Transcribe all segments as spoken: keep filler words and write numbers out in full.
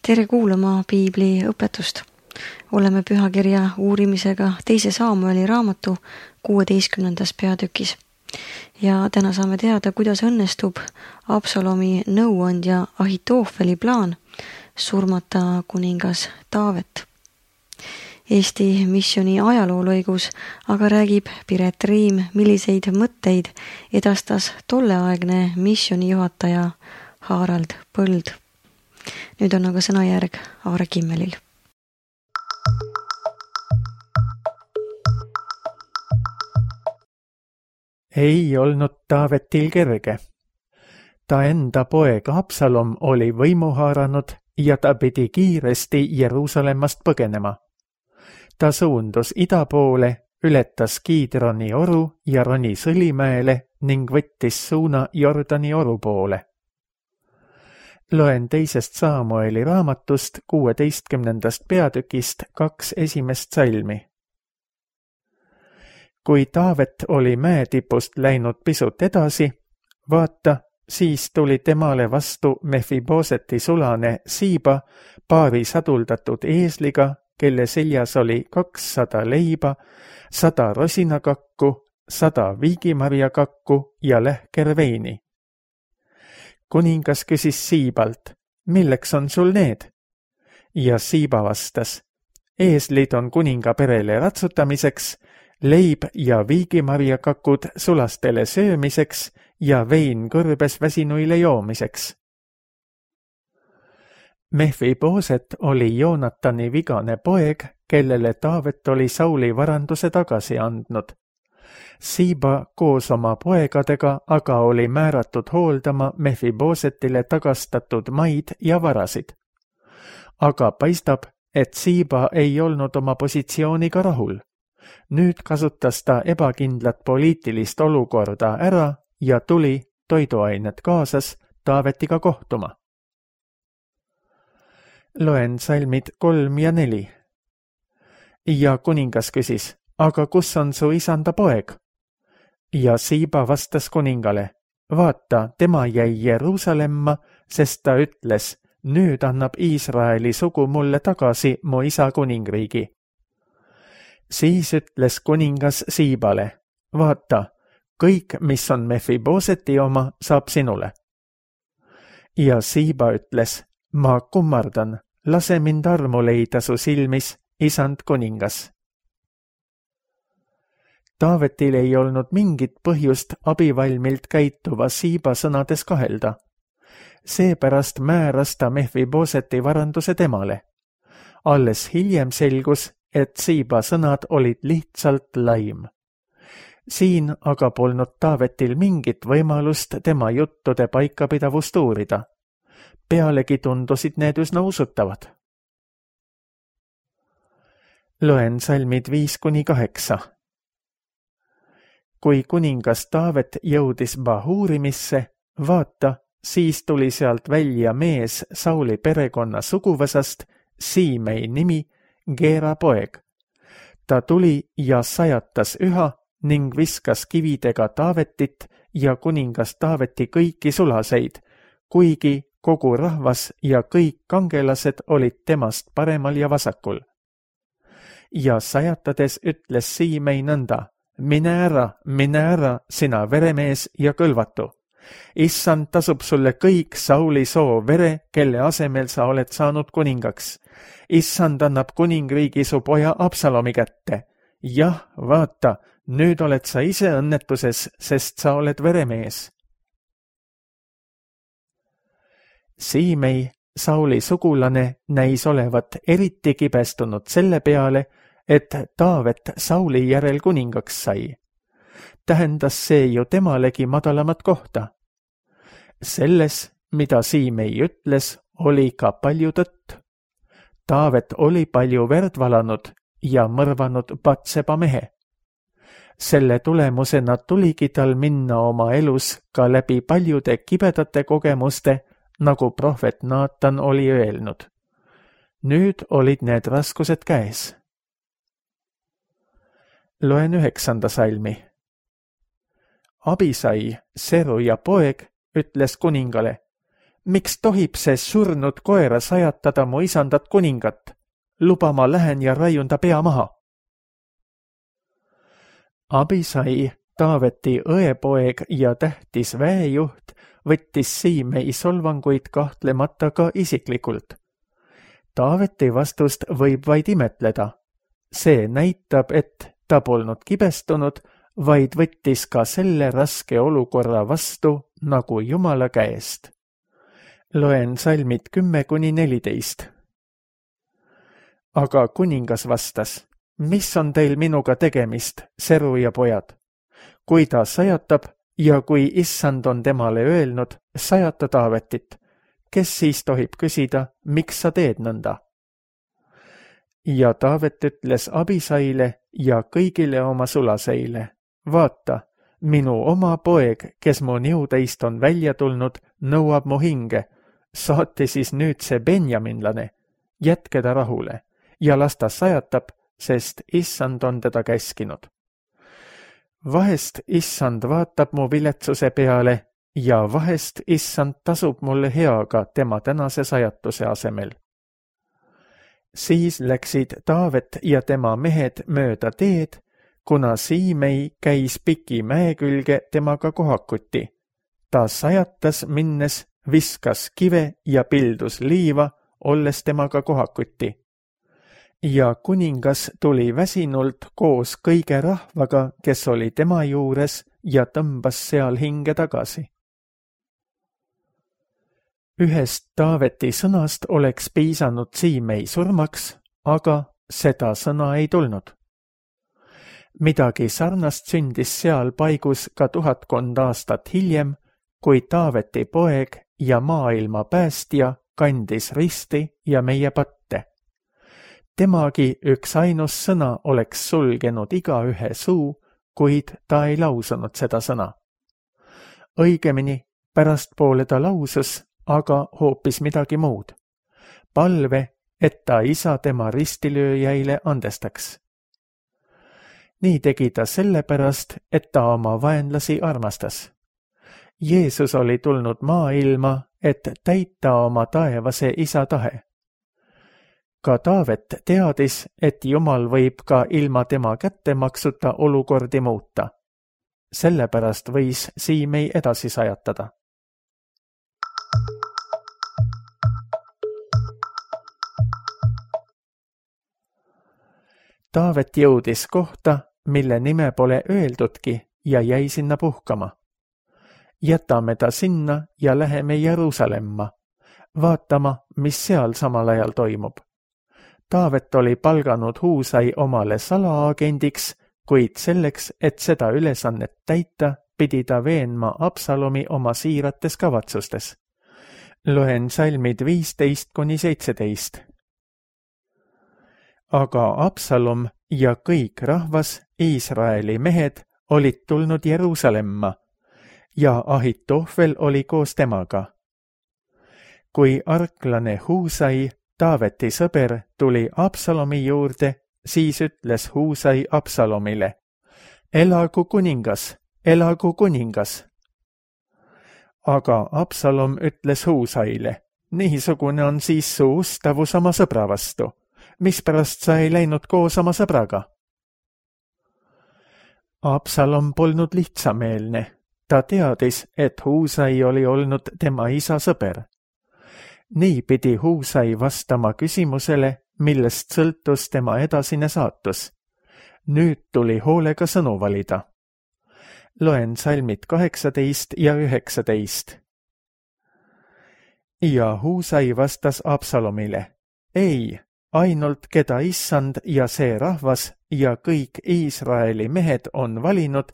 Tere kuulama Piibli õpetust. Oleme pühakirja uurimisega teise Saamueli raamatu kuueteistkümnendas peatükis. Ja täna saame teada, kuidas õnnestub Absalomi nõuandja Ahitoofeli plaan surmata kuningas Taavet. Eesti missiooni ajaloolõigus aga räägib Piret Riim, milliseid mõtteid edastas tolleaegne missiooni juhataja Harald Põld. Nüüd on aga sõnajärg Aare Kimmelil. Ei olnud Taavetil kerge. Ta enda poeg Absalom oli võimu haaranud ja ta pidi kiiresti Jeruusalemmast põgenema. Ta suundus ida poole, ületas Kiidroni oru ja roni Sõlimäele ning võttis suuna Jordani oru poole. Loen teisest Saamueli raamatust kuueteistkümnendast peatükist kaks esimest salmi. Kui Taavet oli mäetipust läinud pisut edasi, vaata, siis tuli temale vastu Mefiboseti sulane Siiba paari saduldatud eesliga, kelle seljas oli kakssada leiba, sada rosinakakku, sada viigimarjakakku ja lähker veini. Kuningas küsis Siibalt, milleks on sul need? Ja Siiba vastas, eeslid on kuninga perele ratsutamiseks, leib ja viigimarjakakud sulastele söömiseks ja vein kõrbes väsinuile joomiseks. Mefiboset oli Joonatani vigane poeg, kellele Taavet oli Sauli varanduse tagasi andnud. Siiba koos oma poegadega aga oli määratud hooldama Mefibosetile tagastatud maid ja varasid. Aga paistab, et Siiba ei olnud oma positsiooniga rahul. Nüüd kasutas ta ebakindlat poliitilist olukorda ära ja tuli, toiduainet kaasas, Taavetiga kohtuma. Loen salmid kolm ja neli. Ja kuningas küsis, aga kus on su isanda poeg? Ja Siiba vastas kuningale, vaata, tema jäi Jeruusalemma, sest ta ütles, nüüd annab Iisraeli sugu mulle tagasi mu isa kuningriigi. Siis ütles kuningas Siibale, vaata, kõik, mis on Mefiboseti oma, saab sinule. Ja Siiba ütles, ma kummardan, lase mind armu leida su silmis, isand kuningas. Taavetil ei olnud mingit põhjust abivalmilt käituva Siiba sõnades kahelda. Seepärast määras ta Mefiboseti varanduse temale. Alles hiljem selgus, et Siiba sõnad olid lihtsalt laim. Siin aga polnud Taavetil mingit võimalust tema juttude paikapidavust uurida. Pealegi tundusid need üsna usutavad. Loen salmid viis kuni kaheksa. Kui kuningas Taavet jõudis Bahurimisse, vaata, siis tuli sealt välja mees Sauli perekonna suguvõsast, Siimei nimi, Geera poeg. Ta tuli ja sajatas üha ning viskas kividega Taavetit ja kuningas Taaveti kõiki sulaseid, kuigi kogu rahvas ja kõik kangelased olid temast paremal ja vasakul. Ja sajatades ütles Siimei nõnda, mine ära, mine ära, sina veremees ja kõlvatu. Issand tasub sulle kõik Sauli soo vere, kelle asemel sa oled saanud kuningaks. Issand annab kuningriigi su poja Absalomi kätte. Jah, vaata, nüüd oled sa ise õnnetuses, sest sa oled veremees. Siimei, Sauli sugulane, näis olevat eriti kibestunud selle peale, et Taavet Sauli järel kuningaks sai. Tähendas see ju temalegi madalamat kohta. Selles, mida Siimei ütles, oli ka palju tõtt. Taavet oli palju verd valanud ja mõrvanud Batseba mehe. Selle tulemusena tuligi tal minna oma elus ka läbi paljude kibedate kogemuste, nagu prohvet Naatan oli öelnud. Nüüd olid need raskused käes. Loen üheksanda salmi. Abisai, Seruja poeg, ütles kuningale, miks tohib see surnud koera sajatada mu isandat kuningat? Luba ma lähen ja raiun ta pea maha. Abisai, Taaveti õepoeg ja tähtis väejuht, võttis Siimei solvanguid kahtlemata ka isiklikult. Taaveti vastust võib vaid imetleda. See näitab, et ta polnud kibestunud, vaid võttis ka selle raske olukorra vastu nagu Jumala käest. Loen salmid kümme kuni neliteist. Aga kuningas vastas, mis on teil minuga tegemist, seru ja pojad? Kui ta sajatab ja kui issand on temale öelnud, sajata Taavetit, kes siis tohib küsida, miks sa teed nõnda? Ja Taavet ütles Abisaile ja kõigile oma sulaseile, vaata, minu oma poeg, kes mu niuteist on välja tulnud, nõuab mu hinge, saati siis nüüd see benjaminlane, jätke ta rahule ja las ta sajatab, sest issand on teda käskinud. Vahest issand vaatab mu viletsuse peale ja vahest issand tasub mulle heaga tema tänase sajatuse asemel. Siis läksid Taavet ja tema mehed mööda teed, kuna Siimei käis piki mäe külge temaga kohakuti. Ta sajatas minnes, viskas kive ja pildus liiva, olles temaga kohakuti. Ja kuningas tuli väsinult koos kõige rahvaga, kes oli tema juures ja tõmbas seal hinge tagasi. Ühest Taaveti sõnast oleks piisanud Siimei surmaks, aga seda sõna ei tulnud. Midagi sarnast sündis seal paigus ka tuhatkond aastat hiljem, kui Taaveti poeg ja maailma päästja kandis risti ja meie patte. Temagi üks ainus sõna oleks sulgenud igaühe suu, kuid ta ei lausunud seda sõna. Õigemini, pärastpoole ta lausus, aga hoopis midagi muud. Palve, et ta isa tema ristilööjäile andestaks. Nii tegi ta sellepärast, et ta oma vaenlasi armastas. Jeesus oli tulnud maailma, et täita oma taevase isa tahe. Ka Taavet teadis, et Jumal võib ka ilma tema kättemaksuta olukordi muuta. Sellepärast võis Siimei edasi sajatada. Taavet jõudis kohta, mille nime pole öeldudki ja jäi sinna puhkama. Jätame ta sinna ja läheme Jeruusalemma, vaatama, mis seal samal ajal toimub. Taavet oli palganud Huusai omale salaagendiks, kuid selleks, et seda ülesannet täita, pidi ta veenma Absalomi oma siirates kavatsustes. Loen salmid viisteist kuni seitseteist. Aga Absalom ja kõik rahvas, Iisraeli mehed, olid tulnud Jeruusalemma ja Ahitofel oli koos temaga. Kui arklane Huusai, Taaveti sõber, tuli Absalomi juurde, siis ütles Huusai Absalomile, elagu kuningas, elagu kuningas. Aga Absalom ütles Huusaile, niisugune on siis su ustavus oma sõbra vastu. Mispärast sa ei läinud koos oma sõbraga? Absalom polnud lihtsameelne. Ta teadis, et Huusai oli olnud tema isa sõber. Nii pidi Huusai vastama küsimusele, millest sõltus tema edasine saatus. Nüüd tuli hoolega sõnu valida. Loen salmid kaheksateist ja üheksateist. Ja Huusai vastas Absalomile, ei, ainult keda issand ja see rahvas ja kõik Iisraeli mehed on valinud,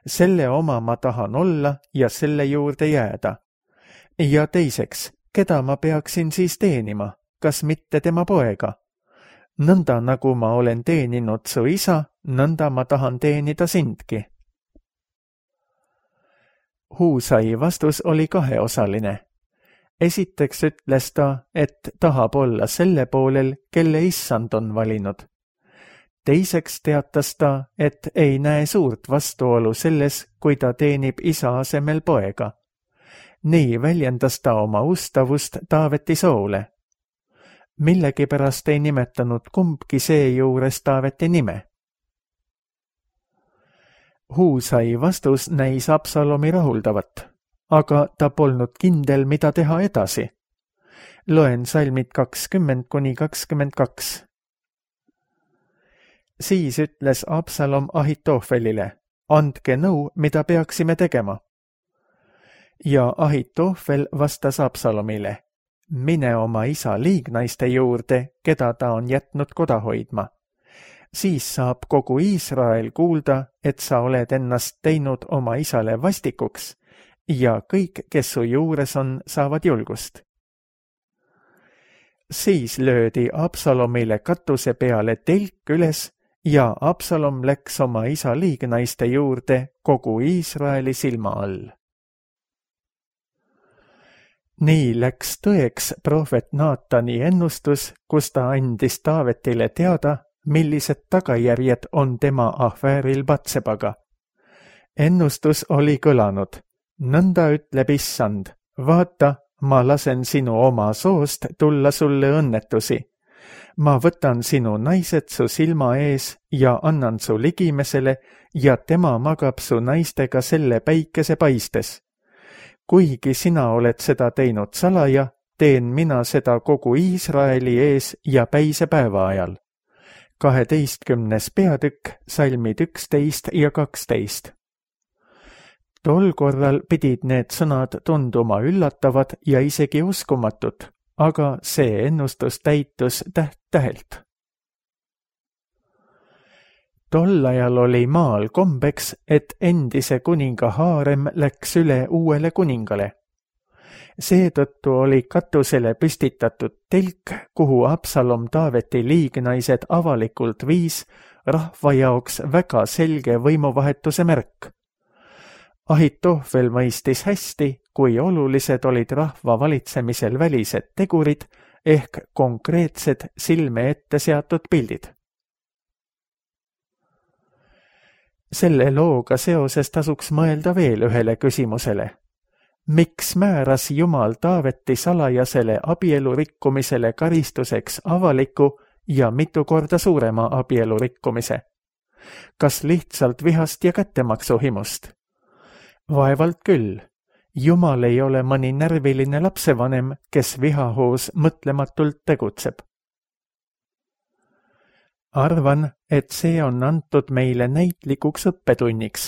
selle oma ma tahan olla ja selle juurde jääda. Ja teiseks, keda ma peaksin siis teenima, kas mitte tema poega? Nõnda nagu ma olen teeninud su isa, nõnda ma tahan teenida sindki. Huusai vastus oli kaheosaline. Esiteks ütles ta, et tahab olla selle poolel, kelle issand on valinud. Teiseks teatas ta, et ei näe suurt vastuolu selles, kui ta teenib isa asemel poega. nii väljendas ta oma ustavust Taaveti soole. Millegipärast ei nimetanud kumbki seejuures Taaveti nime. Huusai vastus näis Absalomi rahuldavat, aga ta polnud kindel, mida teha edasi. Loen salmid kakskümmend kuni kakskümmend kaks. Siis ütles Absalom Ahitofelile, andke nõu, mida peaksime tegema. Ja Ahitofel vastas Absalomile, mine oma isa liignaiste juurde, keda ta on jätnud koda hoidma. Siis saab kogu Iisrael kuulda, et sa oled ennast teinud oma isale vastikuks ja kõik, kes su juures on, saavad julgust. Siis löödi Absalomile katuse peale telk üles ja Absalom läks oma isa liignaiste juurde kogu Iisraeli silma all. Nii läks tõeks prohvet Naatani ennustus, kus ta andis Taavetile teada, millised tagajärjed on tema ahvääril Batsebaga. Ennustus oli kõlanud, nõnda ütleb issand, vaata, ma lasen sinu oma soost tulla sulle õnnetusi. Ma võtan sinu naised su silma ees ja annan su ligimesele ja tema magab su naistega selle päikese paistes. Kuigi sina oled seda teinud salaja, teen mina seda kogu Iisraeli ees ja päisepäeva ajal. kaheteistkümnes peatükk, salmid üksteist ja kaksteist. Tol korral pidid need sõnad tunduma üllatavad ja isegi uskumatud, aga see ennustus täitus täht-tähelt. Tol ajal oli maal kombeks, et endise kuninga haarem läks üle uuele kuningale. Seetõttu oli katusele püstitatud telk, kuhu Absalom Taaveti liignaised avalikult viis, rahva jaoks väga selge võimuvahetuse märk. Ahitofel mõistis hästi, kui olulised olid rahva valitsemisel välised tegurid ehk konkreetsed silme ette seatud pildid. Selle looga seoses tasuks mõelda veel ühele küsimusele. Miks määras Jumal Taaveti salajasele abielu rikkumisele karistuseks avaliku ja mitu korda suurema abielu rikkumise? Kas lihtsalt vihast ja kättemaksu himust? Vaevalt küll. Jumal ei ole mõni närviline lapsevanem, kes vihahoos mõtlematult tegutseb. Arvan, et see on antud meile näitlikuks õppetunniks,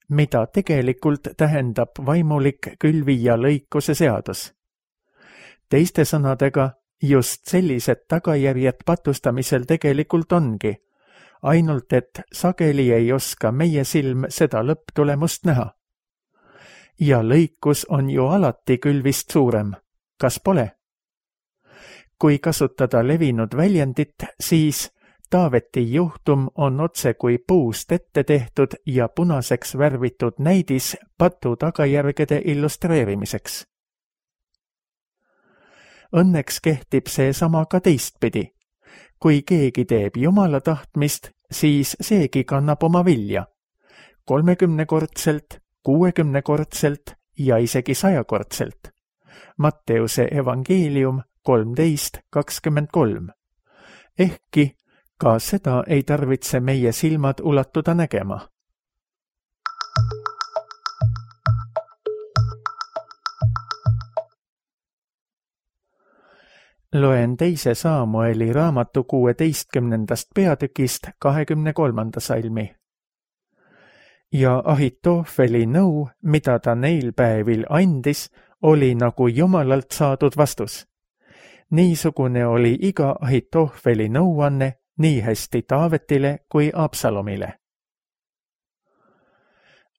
mida tegelikult tähendab vaimulik külvi ja lõikuse seadus. Teiste sõnadega, just sellised tagajärjed patustamisel tegelikult ongi, ainult et sageli ei oska meie silm seda lõpptulemust näha. Ja lõikus on ju alati külvist suurem, kas pole? Kui kasutada levinud väljendit, siis Taaveti juhtum on otse kui puust ette tehtud ja punaseks värvitud näidis patu tagajärgede illustreerimiseks. Õnneks kehtib see sama ka teistpidi. Kui keegi teeb Jumala tahtmist, siis seegi kannab oma vilja. kolmekümnekordselt, kuuekümnekordselt ja isegi sajakordselt. Matteuse evangeelium kolmteist kakskümmend kolm. Ehkki ka seda ei tarvitse meie silmad ulatuda nägema. Loen teise Saamueli raamatu kuueteistkümnendast peatükist kahekümne kolmanda salmi. Ja Ahitofeli nõu, mida ta neil päevil andis, oli nagu Jumalalt saadud vastus. Niisugune oli iga Ahitofeli nõuanne nii hästi Taavetile kui Absalomile.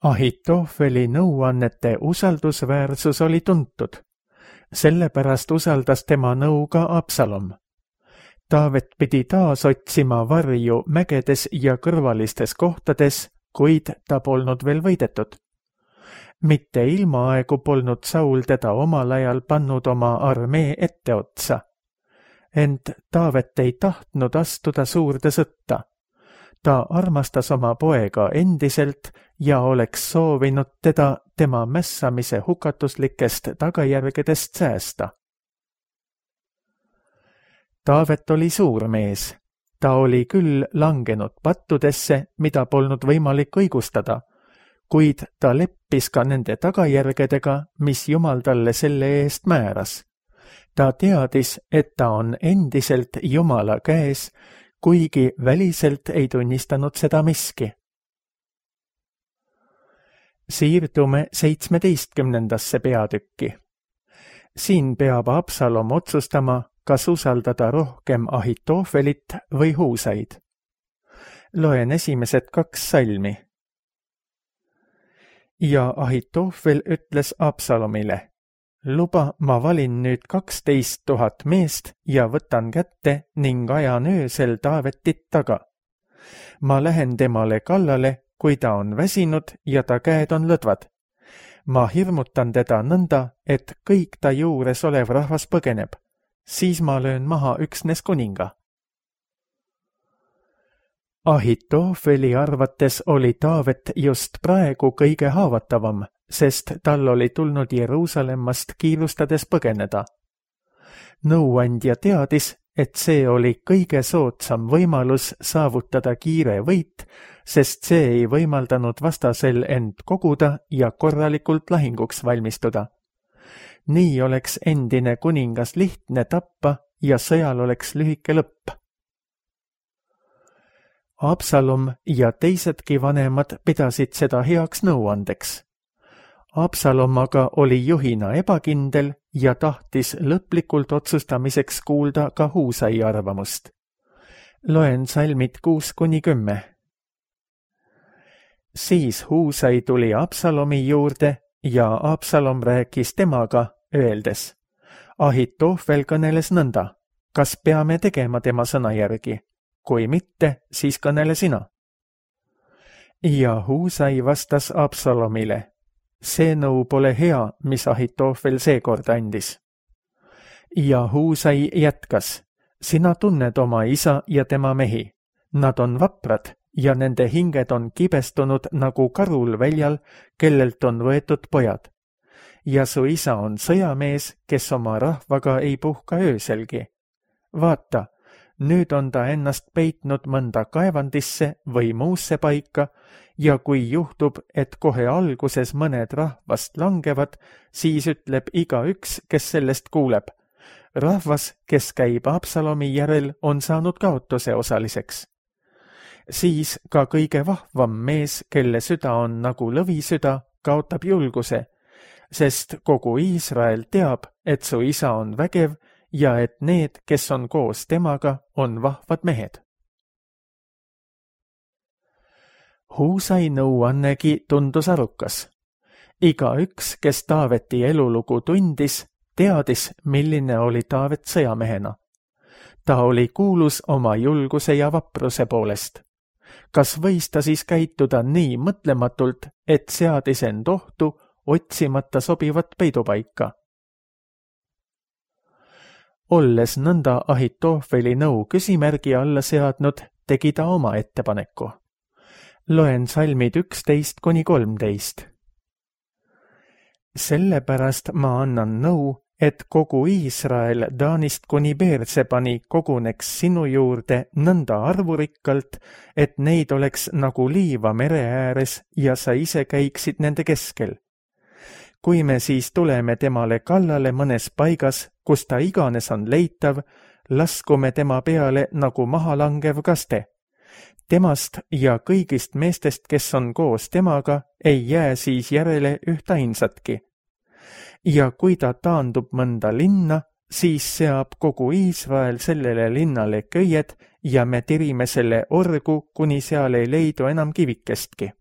Ahitofeli nõuannete usaldusväärsus oli tuntud. Sellepärast usaldas tema nõu ka Absalom. Taavet pidi taas otsima varju mägedes ja kõrvalistes kohtades, kuid ta polnud veel võidetud. Mitte ilmaaegu polnud Saul teda omal ajal pannud oma armee etteotsa. Ent Taavet ei tahtnud astuda suurde sõtta. ta armastas oma poega endiselt ja oleks soovinud teda tema mässamise hukatuslikest tagajärgedest säästa. Taavet oli suur mees. Ta oli küll langenud pattudesse, mida polnud võimalik õigustada, kuid ta leppis ka nende tagajärgedega, mis Jumal talle selle eest määras. Ta teadis, et ta on endiselt Jumala käes, kuigi väliselt ei tunnistanud seda miski. Siirdume seitsmeteistkümnendasse peatükki. Siin peab Absalom otsustama, kas usaldada rohkem Ahitofelit või Huusaid. Loen esimesed kaks salmi. Ja Ahitofel ütles Absalomile, luba, ma valin nüüd kaksteist tuhat meest ja võtan kätte ning ajan öösel Taavetit taga. Ma lähen temale kallale, kui ta on väsinud ja ta käed on lõdvad. Ma hirmutan teda nõnda, et kõik ta juures olev rahvas põgeneb. Siis ma löön maha üksnes kuninga. Ahitofeli arvates oli Taavet just praegu kõige haavatavam, sest tal oli tulnud Jeruusalemmast kiirustades põgeneda. Nõuandja teadis, et see oli kõige soodsam võimalus saavutada kiire võit, sest see ei võimaldanud vastasel end koguda ja korralikult lahinguks valmistuda. Nii oleks endine kuningas lihtne tappa ja sõjal oleks lühike lõpp. Absalom ja teisedki vanemad pidasid seda heaks nõuandeks. Absalom aga oli juhina ebakindel ja tahtis lõplikult otsustamiseks kuulda ka Huusai arvamust. Loen salmid kuus kuni kümme. Siis Huusai tuli Absalomi juurde ja Absalom rääkis temaga, öeldes, Ahitofel kõneles nõnda, kas peame tegema tema sõna järgi? Kui mitte, siis kõnele sina. Ja Huusai vastas Absalomile, see nõu pole hea, mis Ahitofel seekord andis. Ja Huusai jätkas, sina tunned oma isa ja tema mehi. Nad on vaprad ja nende hinged on kibestunud nagu karul väljal, kellelt on võetud pojad. Ja su isa on sõjamees, kes oma rahvaga ei puhka ööselgi. Vaata, nüüd on ta ennast peitnud mõnda kaevandisse või muusse paika ja kui juhtub, et kohe alguses mõned rahvast langevad, siis ütleb igaüks, kes sellest kuuleb. Rahvas, kes käib Absalomi järel, on saanud kaotuse osaliseks. Siis ka kõige vahvam mees, kelle süda on nagu lõvisüda, kaotab julguse, sest kogu Iisrael teab, et su isa on vägev ja et need, kes on koos temaga, on vahvad mehed. Huusai nõuannegi tundus arukas. Igaüks, kes Taaveti elulugu tundis, teadis, milline oli Taavet sõjamehena. Ta oli kuulus oma julguse ja vapruse poolest. Kas võis ta siis käituda nii mõtlematult, et seadis end ohtu, otsimata sobivat peidupaika? Olles nõnda Ahitofeli nõu küsimärgi alla seadnud, tegi ta oma ettepaneku. Loen salmid üksteist kuni kolmteist. Sellepärast ma annan nõu, et kogu Iisrael Taanist kuni Beersebani koguneks sinu juurde nõnda arvurikkalt, et neid oleks nagu liiva mere ääres ja sa ise käiksid nende keskel. Kui me siis tuleme temale kallale mõnes paigas, kus ta iganes on leitav, laskume tema peale nagu mahalangev kaste. Temast ja kõigist meestest, kes on koos temaga, ei jää siis järele ühta ainsatki. Ja kui ta taandub mõnda linna, siis seab kogu Iisrael sellele linnale köied ja me tirime selle orgu, kuni seal ei leidu enam kivikestki.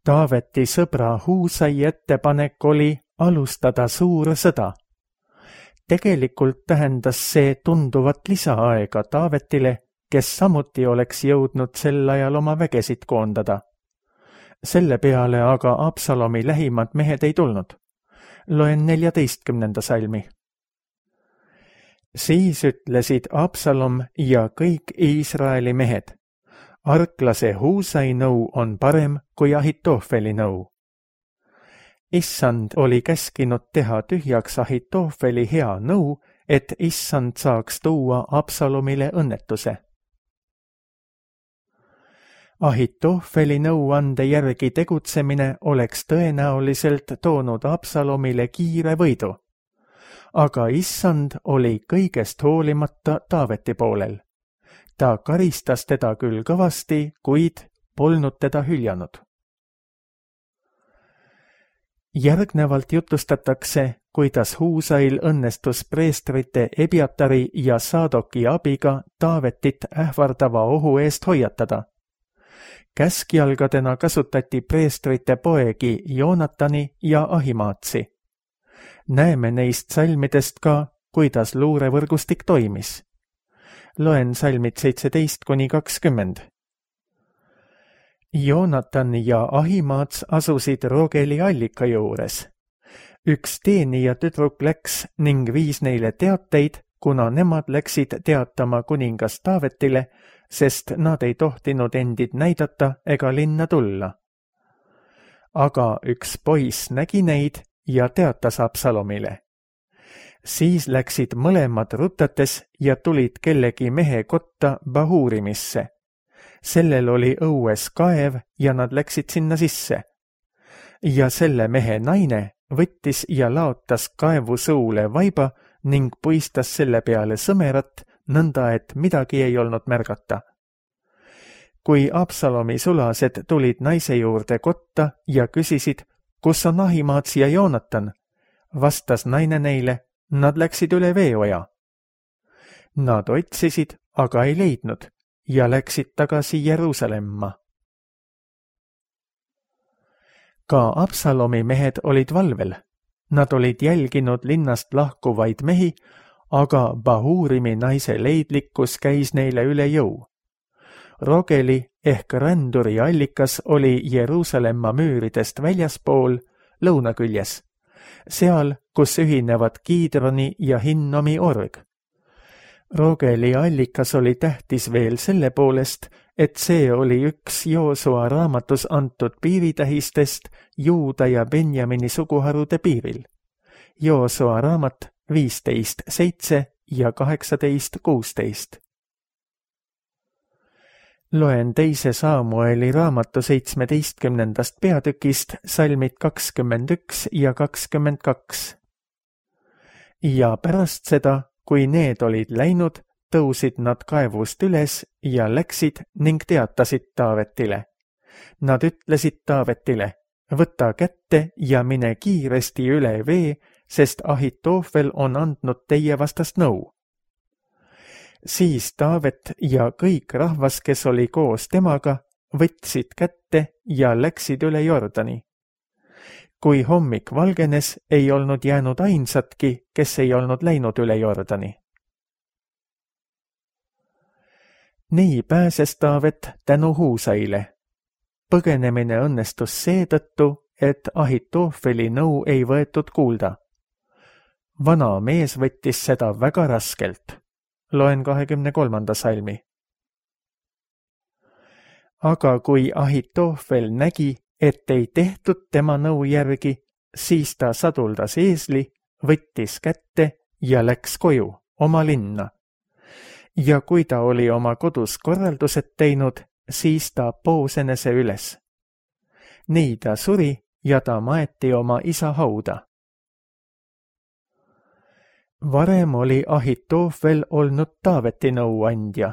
Taaveti sõbra Huusai ettepanek oli alustada suur sõda. Tegelikult tähendas see tunduvat lisaaega Taavetile, kes samuti oleks jõudnud sel ajal oma vägesid koondada. Selle peale aga Absalomi lähimad mehed ei tulnud. Loen neljateistkümnenda salmi. Siis ütlesid Absalom ja kõik Iisraeli mehed. Arklase Huusai nõu on parem kui Ahitofeli nõu. Issand oli käskinud teha tühjaks Ahitofeli hea nõu, et issand saaks tuua Absalomile õnnetuse. Ahitofeli nõuande järgi tegutsemine oleks tõenäoliselt toonud Absalomile kiire võidu, aga issand oli kõigest hoolimata Taaveti poolel. Ta karistas teda küll kõvasti, kuid polnud teda hüljanud. Järgnevalt jutustatakse, kuidas Huusail õnnestus preestrite Ebiatari ja Saadoki abiga Taavetit ähvardava ohu eest hoiatada. Käskjalgadena kasutati preestrite poegi Joonatani ja Ahimaatsi. Näeme neist salmidest ka, kuidas luurevõrgustik toimis. Loen salmid seitseteist kuni kakskümmend. Joonatan ja Ahimaats asusid Rogeli allika juures. Üks teenija tüdruk läks ning viis neile teateid, kuna nemad läksid teatama kuningas Taavetile, sest nad ei tohtinud endid näidata ega linna tulla. Aga üks poiss nägi neid ja teatas Absalomile. Siis läksid mõlemad rutates ja tulid kellegi mehe kotta Bahurimisse. Sellel oli õues kaev ja nad läksid sinna sisse. Ja selle mehe naine võttis ja laotas kaevu suule vaiba ning puistas selle peale sõmerat, nõnda et midagi ei olnud märgata. Kui Absalomi sulased tulid naise juurde kotta ja küsisid, kus on Ahimaats ja Joonatan, vastas naine neile, nad läksid üle veeoja. Nad otsisid, aga ei leidnud ja läksid tagasi Jeruusalemma. Ka Absalomi mehed olid valvel. Nad olid jälginud linnast lahkuvaid mehi, aga Bahurimi naise leidlikkus käis neile üle jõu. Rogeli ehk ränduri allikas oli Jeruusalemma müüridest väljaspool lõunaküljes, seal, kus ühinevad Kiidroni ja Hinnomi org. Rogeli allikas oli tähtis veel selle poolest, et see oli üks Joosua raamatus antud piiritähistest Juuda ja Benjamini suguharude piiril. Joosua raamat viisteist seitse ja kaheksateist kuusteist. Loen teise Saamueli raamatu seitsmeteistkümnendast peatükist salmid kakskümmend üks ja kakskümmend kaks. Ja pärast seda, kui need olid läinud, tõusid nad kaevust üles ja läksid ning teatasid Taavetile. Nad ütlesid Taavetile, võta kätte ja mine kiiresti üle vee, sest Ahitofel on andnud teie vastast nõu. Siis Taavet ja kõik rahvas, kes oli koos temaga, võtsid kätte ja läksid üle Jordani. Kui hommik valgenes, ei olnud jäänud ainsatki, kes ei olnud läinud üle Jordani. Nii pääses Taavet tänu Huusaile. Põgenemine õnnestus seetõttu, et Ahitofeli nõu ei võetud kuulda. Vana mees võttis seda väga raskelt. Loen kahekümne kolmanda salmi. Aga kui Ahitofel nägi, et ei tehtud tema nõu järgi, siis ta saduldas eesli, võttis kätte ja läks koju, oma linna. Ja kui ta oli oma kodus korraldused teinud, siis ta poos enese üles. Nii ta suri ja ta maeti oma isa hauda. Varem oli Ahitofel olnud Taaveti nõuandja.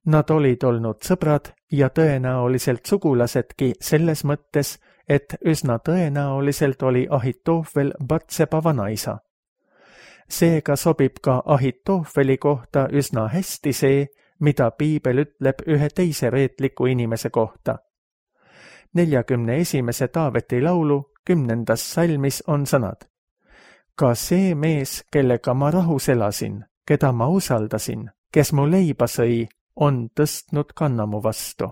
Nad olid olnud sõbrad ja tõenäoliselt sugulasedki selles mõttes, et üsna tõenäoliselt oli Ahitofel Batseba vanaisa. Seega sobib ka Ahitofeli kohta üsna hästi see, mida piibel ütleb ühe teise reetliku inimese kohta. neljakümne esimese Taaveti laulu kümnendas salmis on sõnad. Ka see mees, kellega ma rahus elasin, keda ma usaldasin, kes mu leiba sõi, on tõstnud kannamu vastu.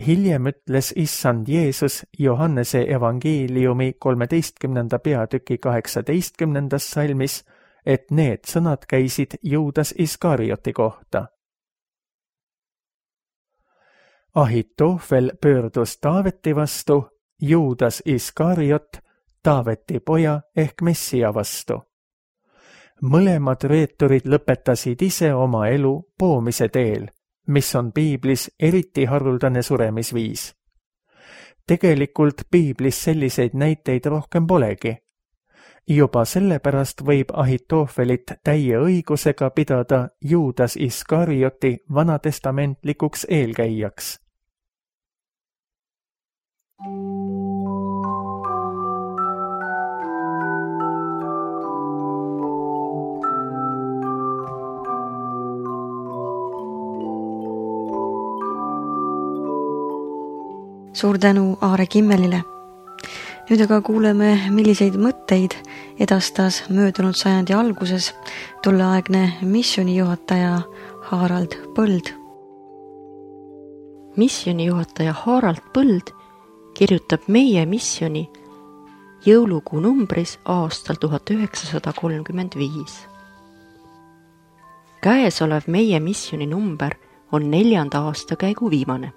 Hiljem ütles issand Jeesus Johannese evangeeliumi kolmeteistkümnenda peatüki kaheksateistkümnendas salmis, et need sõnad käisid Juudas Iskarioti kohta. Ahitofel pöördus Taaveti vastu, Juudas Iskariot Taaveti poja ehk Messia vastu. Mõlemad reeturid lõpetasid ise oma elu poomise teel, mis on piiblis eriti haruldane suremisviis. Tegelikult piiblis selliseid näiteid rohkem polegi. Juba sellepärast võib Ahitofelit täie õigusega pidada Juudas Iskarioti vanatestamentlikuks eelkäijaks. Suur tänu Aare Kimmelile. Nüüd aga kuuleme, milliseid mõtteid edastas möödunud sajandi alguses tolleaegne missioonijuhataja Harald Põld. Missioonijuhataja Harald Põld kirjutab meie missiooni jõulukuu numbris aastal tuhat üheksasada kolmkümmend viis. Käesolev meie missiooni number on neljanda aastakäigu viimane.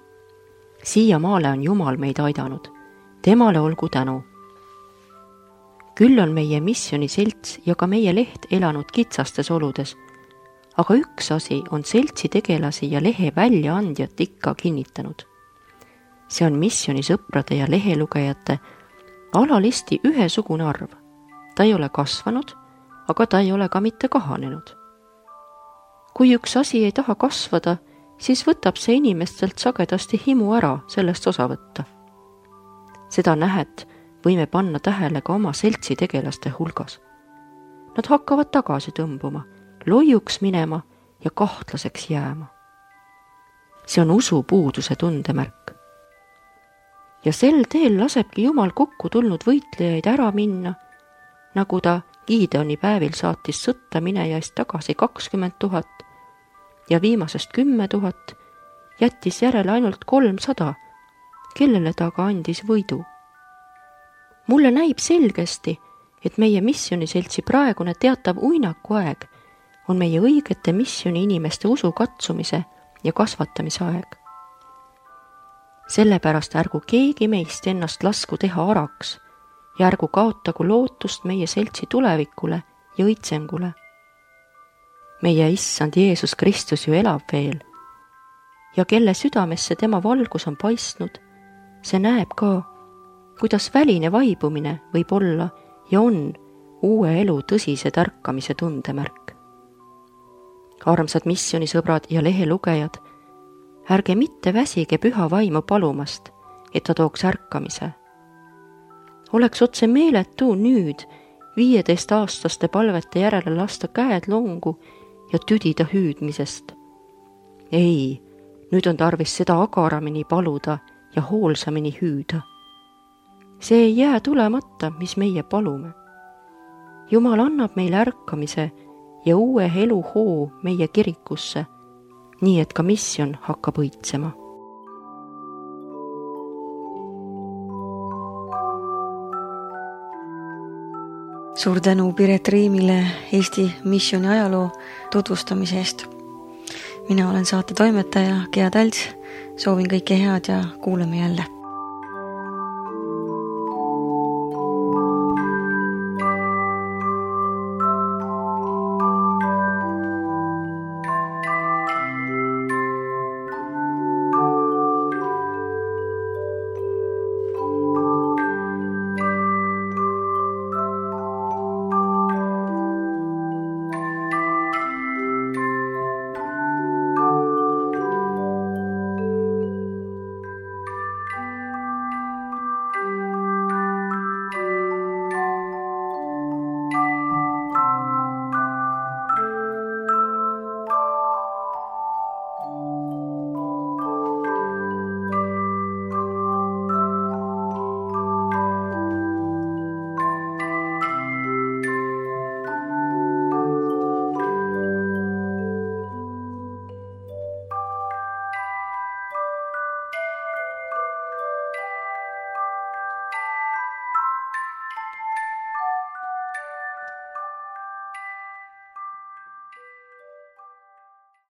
Siiamaale on Jumal meid aidanud. Temale olgu tänu. Küll on meie missiooniselts ja ka meie leht elanud kitsastes oludes, aga üks asi on seltsi tegelasi ja lehe väljaandjat ikka kinnitanud. See on missioonisõprade ja lehelugejate alalisti ühesugune arv. Ta ei ole kasvanud, aga ta ei ole ka mitte kahanenud. Kui üks asi ei taha kasvada, siis võtab see inimestelt sagedasti himu ära sellest osa võtta. Seda nähet võime panna tähele ka oma seltsi tegelaste hulgas. Nad hakkavad tagasi tõmbuma, loiuks minema ja kahtlaseks jääma. See on usu puuduse tundemärk. Ja sel teel lasebki Jumal kokku tulnud võitlejaid ära minna, nagu ta Gideoni päevil saatis sõtta minejaist tagasi kakskümmend tuhat ja viimasest kümme tuhat jättis järele ainult kolmsada, kellele ta ka andis võidu. Mulle näib selgesti, et meie missioniseltsi praegune teatav uinaku aeg on meie õigete missioni inimeste usu katsumise ja kasvatamise aeg. Sellepärast ärgu keegi meist ennast lasku teha araks ja ärgu kaotagu lootust meie seltsi tulevikule ja õitsengule. Meie issand Jeesus Kristus ju elab veel ja kelle südamesse tema valgus on paistnud, see näeb ka, kuidas väline vaibumine võib olla ja on uue elu tõsise tärkamise tundemärk. Armsad missioonisõbrad ja lehelugejad, ärge mitte väsige püha vaimu palumast, et ta tooks ärkamise. Oleks otse meeletu nüüd viieteist-aastaste palvete järele lasta käed longu ja tüdida hüüdmisest. Ei, nüüd on tarvis seda agaramini paluda ja hoolsamini hüüda. See ei jää tulemata, mis meie palume. Jumal annab meile ärkamise ja uue elu hoo meie kirikusse, nii et ka missioon hakkab õitsema. Suur tänu Piret Riimile Eesti missiooni ajaloo tutvustamise eest. Mina olen saate toimetaja Gea Tälts, soovin kõike head ja kuuleme jälle.